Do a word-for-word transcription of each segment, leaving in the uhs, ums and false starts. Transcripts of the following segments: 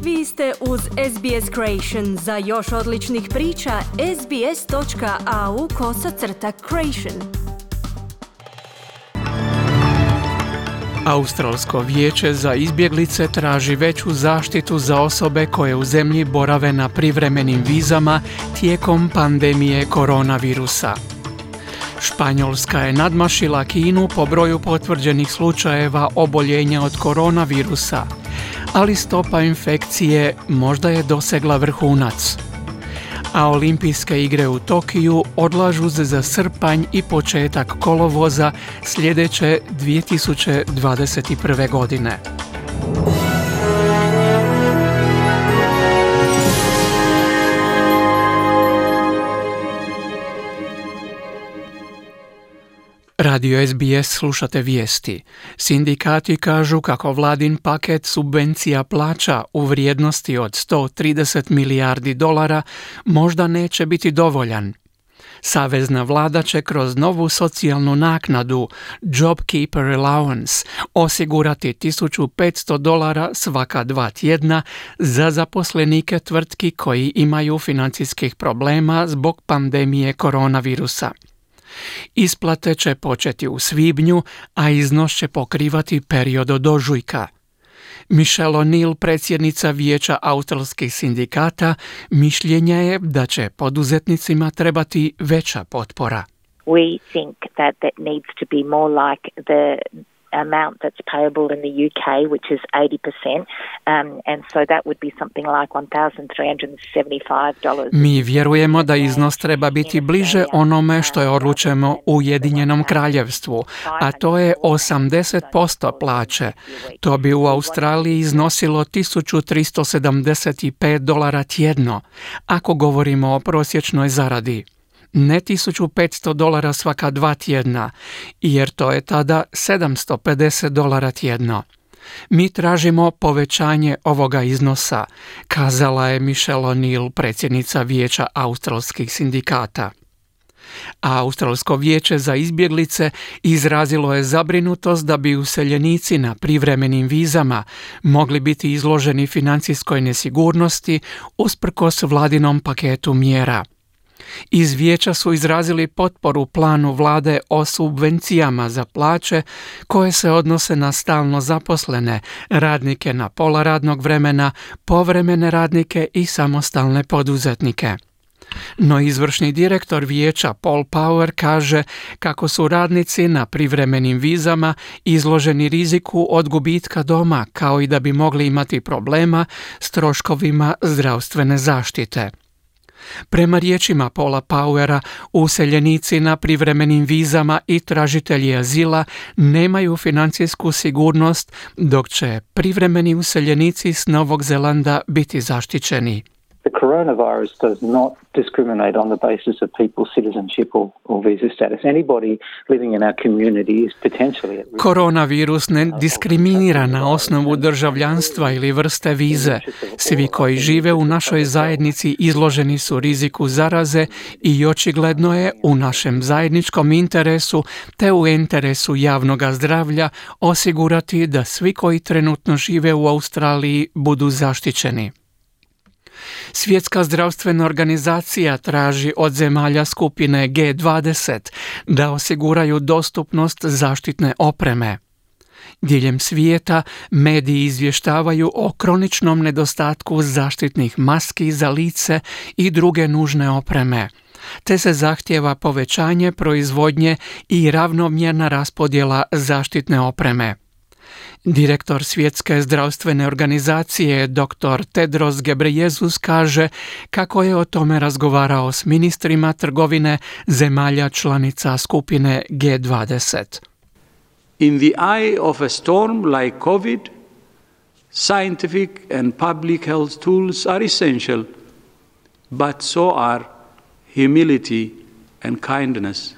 Vi ste uz S B S Creation. Za još odličnih priča, sbs.au kosacrta creation. Australsko vijeće za izbjeglice traži veću zaštitu za osobe koje u zemlji borave na privremenim vizama tijekom pandemije koronavirusa. Španjolska je nadmašila Kinu po broju potvrđenih slučajeva oboljenja od koronavirusa, ali stopa infekcije možda je dosegla vrhunac. A olimpijske igre u Tokiju odlažu se za srpanj i početak kolovoza sljedeće dvije tisuće dvadeset prve. godine. Radio S B S slušate vijesti. Sindikati kažu kako vladin paket subvencija plaća u vrijednosti od sto trideset milijardi dolara možda neće biti dovoljan. Savezna vlada će kroz novu socijalnu naknadu JobKeeper Allowance osigurati tisuću petsto dolara svaka dva tjedna za zaposlenike tvrtki koji imaju financijskih problema zbog pandemije koronavirusa. Isplate će početi u svibnju, a iznos će pokrivati period od ožujka. Michelle O'Neill, predsjednica Vijeća australskih sindikata, mišljenja je da će poduzetnicima trebati veća potpora. We think that that needs to be more like the amount that's payable in the U K, which is eighty percent, um, and so that would be something like one thousand three hundred seventy-five dollars. Mi vjerujemo da iznos treba biti bliže onome što je odlučeno u Ujedinjenom kraljevstvu, a to je osamdeset posto plaće. To bi u Australiji iznosilo tisuću tristo sedamdeset pet dolara tjedno, ako govorimo o prosječnoj zaradi. Ne tisuću petsto dolara svaka dva tjedna, jer to je tada sedamsto pedeset dolara tjedno. Mi tražimo povećanje ovoga iznosa, kazala je Michelle O'Neill, predsjednica Vijeća australskih sindikata. A Australsko vijeće za izbjeglice izrazilo je zabrinutost da bi useljenici na privremenim vizama mogli biti izloženi financijskoj nesigurnosti usprkos vladinom paketu mjera. Iz vijeća su izrazili potporu planu vlade o subvencijama za plaće koje se odnose na stalno zaposlene, radnike na pola radnog vremena, povremene radnike i samostalne poduzetnike. No izvršni direktor vijeća Paul Power kaže kako su radnici na privremenim vizama izloženi riziku od gubitka doma, kao i da bi mogli imati problema s troškovima zdravstvene zaštite. Prema riječima Paula Powera, useljenici na privremenim vizama i tražitelji azila nemaju financijsku sigurnost, dok će privremeni useljenici s Novog Zelanda biti zaštićeni. The coronavirus does not discriminate on the basis of people's citizenship or, or visa status. Anybody living in our community is potentially at risk. Koronavirus ne diskriminira na osnovu državljanstva ili vrste vize. Svi koji žive u našoj zajednici izloženi su riziku zaraze i očigledno je u našem zajedničkom interesu te u interesu javnog zdravlja osigurati da svi koji trenutno žive u Australiji budu zaštićeni. Svjetska zdravstvena organizacija traži od zemalja skupine G dvadeset da osiguraju dostupnost zaštitne opreme. Diljem svijeta mediji izvještavaju o kroničnom nedostatku zaštitnih maski za lice i druge nužne opreme, te se zahtijeva povećanje proizvodnje i ravnomjerna raspodjela zaštitne opreme. Direktor Svjetske zdravstvene organizacije dr. Tedros Ghebreyesus kaže kako je o tome razgovarao s ministrima trgovine zemalja članica skupine G dvadeset. In the eye of a storm like COVID, scientific and public health tools are essential, but so are humility and kindness.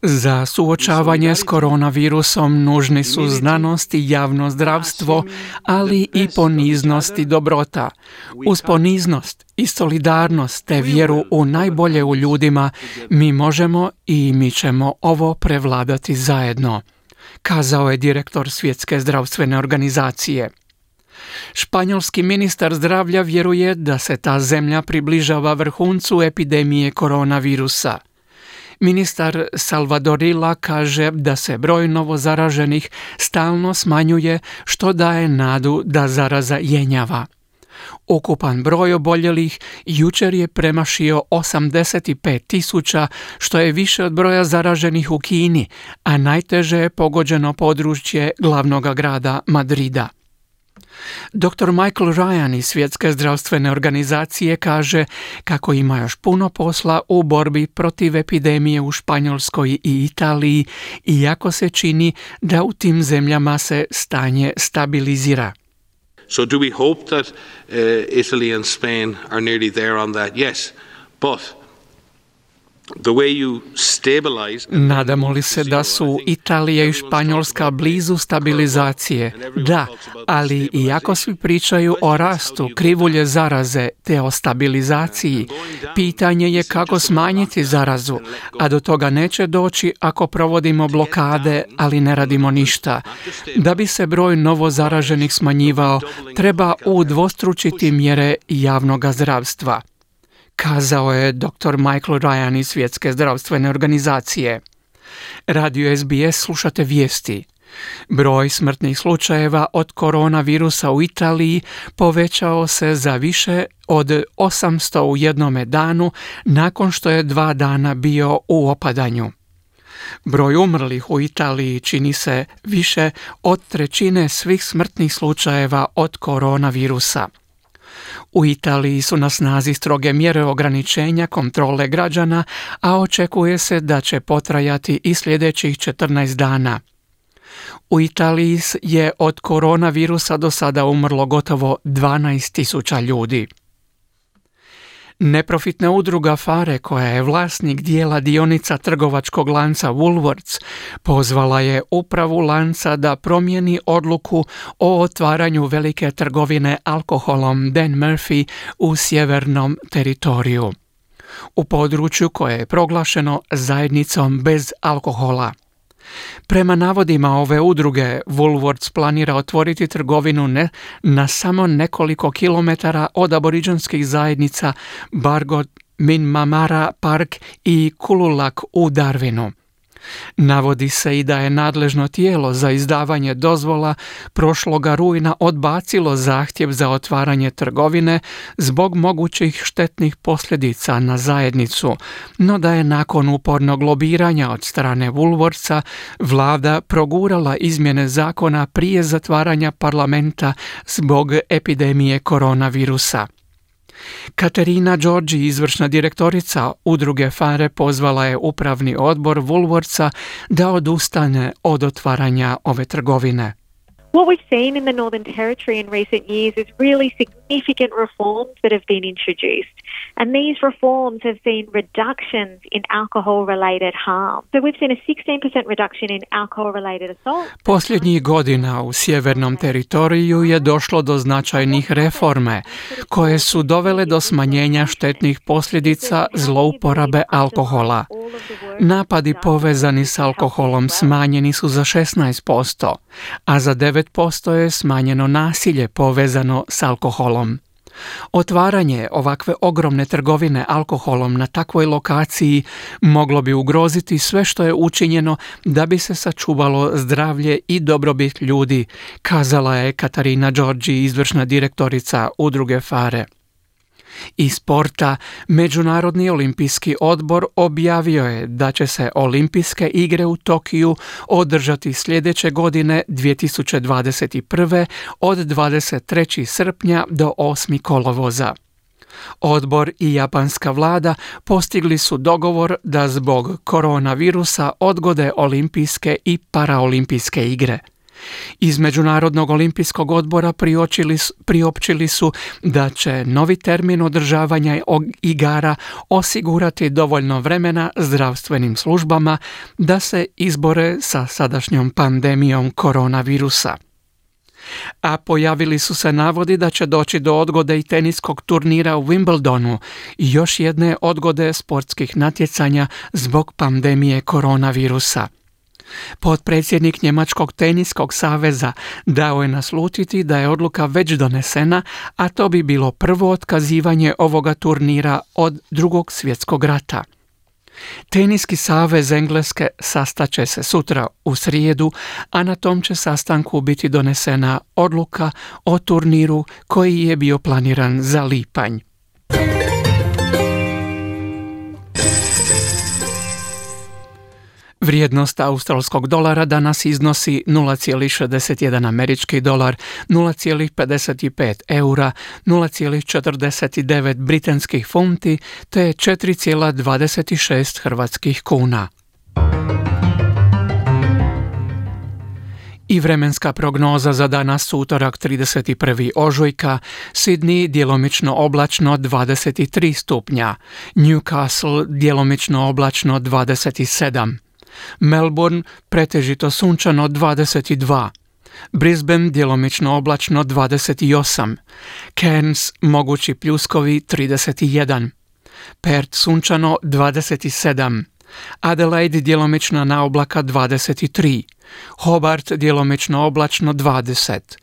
Za suočavanje s koronavirusom nužni su znanost i javno zdravstvo, ali i poniznost i dobrota. Uz poniznost i solidarnost te vjeru u najbolje u ljudima mi možemo i mi ćemo ovo prevladati zajedno, kazao je direktor Svjetske zdravstvene organizacije. Španjolski ministar zdravlja vjeruje da se ta zemlja približava vrhuncu epidemije koronavirusa. Ministar Salvadorilla kaže da se broj novozaraženih stalno smanjuje, što daje nadu da zaraza jenjava. Ukupan broj oboljelih jučer je premašio osamdeset pet tisuća, što je više od broja zaraženih u Kini, a najteže je pogođeno područje glavnog grada Madrida. doktor Michael Ryan iz Svjetske zdravstvene organizacije kaže kako ima još puno posla u borbi protiv epidemije u Španjolskoj i Italiji, iako se čini da u tim zemljama se stanje stabilizira. So do we hope that uh, Italy and Spain are nearly there on that? Yes, but the way you stabilize... Nadamo li se da su Italija i Španjolska blizu stabilizacije? Da, ali iako svi pričaju o rastu krivulje zaraze te o stabilizaciji, pitanje je kako smanjiti zarazu, a do toga neće doći ako provodimo blokade, ali ne radimo ništa. Da bi se broj novozaraženih smanjivao, treba udvostručiti mjere javnog zdravstva, kazao je doktor Michael Ryan iz Svjetske zdravstvene organizacije. Radio S B S slušate vijesti. Broj smrtnih slučajeva od koronavirusa u Italiji povećao se za više od osamsto u jednome danu nakon što je dva dana bio u opadanju. Broj umrlih u Italiji čini se više od trećine svih smrtnih slučajeva od koronavirusa. U Italiji su na snazi stroge mjere ograničenja kontrole građana, a očekuje se da će potrajati i sljedećih četrnaest dana. U Italiji je od koronavirusa do sada umrlo gotovo dvanaest tisuća ljudi. Neprofitna udruga Fare, koja je vlasnik dijela dionica trgovačkog lanca Woolworths, pozvala je upravu lanca da promijeni odluku o otvaranju velike trgovine alkoholom Dan Murphy u sjevernom teritoriju, u području koje je proglašeno zajednicom bez alkohola. Prema navodima ove udruge, Woolworths planira otvoriti trgovinu ne, na samo nekoliko kilometara od aboriđanskih zajednica Bargot, Minmamara Park i Kululak u Darwinu. Navodi se i da je nadležno tijelo za izdavanje dozvola prošloga rujna odbacilo zahtjev za otvaranje trgovine zbog mogućih štetnih posljedica na zajednicu, no da je nakon upornog lobiranja od strane Woolworthsa vlada progurala izmjene zakona prije zatvaranja parlamenta zbog epidemije koronavirusa. Katerina Đorđi, izvršna direktorica udruge Fare, pozvala je upravni odbor Woolworthsa da odustane od otvaranja ove trgovine. What we've seen in the Northern Territory in recent years is really significant reforms that have been introduced. And these reforms have seen reductions in alcohol-related harm. So we've seen a sixteen percent reduction in alcohol-related assault. Posljednjih godina u sjevernom teritoriju je došlo do značajnih reforme koje su dovele do smanjenja štetnih posljedica zlouporabe alkohola. Napadi povezani s alkoholom smanjeni su za šesnaest posto, a za devet posto je smanjeno nasilje povezano s alkoholom. Otvaranje ovakve ogromne trgovine alkoholom na takvoj lokaciji moglo bi ugroziti sve što je učinjeno da bi se sačuvalo zdravlje i dobrobit ljudi, kazala je Katarina Đorđi, izvršna direktorica udruge Fare. Iz sporta, Međunarodni olimpijski odbor objavio je da će se olimpijske igre u Tokiju održati sljedeće godine dvije tisuće dvadeset prve od dvadeset trećeg srpnja do osmog kolovoza. Odbor i japanska vlada postigli su dogovor da zbog koronavirusa odgode olimpijske i paraolimpijske igre. Iz Međunarodnog olimpijskog odbora priopćili, priopćili su da će novi termin održavanja igara osigurati dovoljno vremena zdravstvenim službama da se izbore sa sadašnjom pandemijom koronavirusa. A pojavili su se navodi da će doći do odgode i teniskog turnira u Wimbledonu i još jedne odgode sportskih natjecanja zbog pandemije koronavirusa. Potpredsjednik Njemačkog teniskog saveza dao je naslutiti da je odluka već donesena, a to bi bilo prvo otkazivanje ovoga turnira od Drugog svjetskog rata. Teniski savez Engleske sastaće se sutra u srijedu, a na tom će sastanku biti donesena odluka o turniru koji je bio planiran za lipanj. Vrijednost australskog dolara danas iznosi nula zarez šezdeset jedan američki dolar, nula zarez pedeset pet eura, nula zarez četrdeset devet britanskih funti te četiri zarez dvadeset šest hrvatskih kuna. I vremenska prognoza za danas utorak trideset prvi ožujka, Sydney djelomično oblačno dvadeset tri stupnja, Newcastle djelomično oblačno dvadeset sedam, Melbourne pretežito sunčano dvadeset dva, Brisbane djelomično oblačno dvadeset osam, Cairns mogući pljuskovi trideset jedan, Perth sunčano dvadeset sedam, Adelaide djelomično na oblaka dvadeset tri, Hobart djelomično oblačno dvadeset,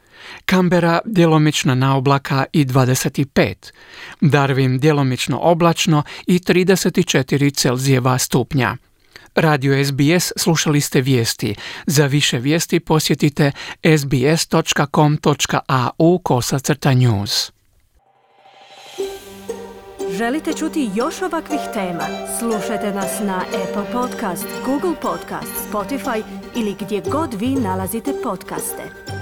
Canberra djelomično na oblaka i dvadeset pet, Darwin djelomično oblačno i trideset četiri Celzijeva stupnja. Radio S B S slušali ste vijesti. Za više vijesti posjetite sbs točka com točka a u kosacrta news. Želite čuti još ovakvih tema? Slušajte nas na Apple Podcast, Google Podcast, Spotify ili gdje god vi nalazite podcaste.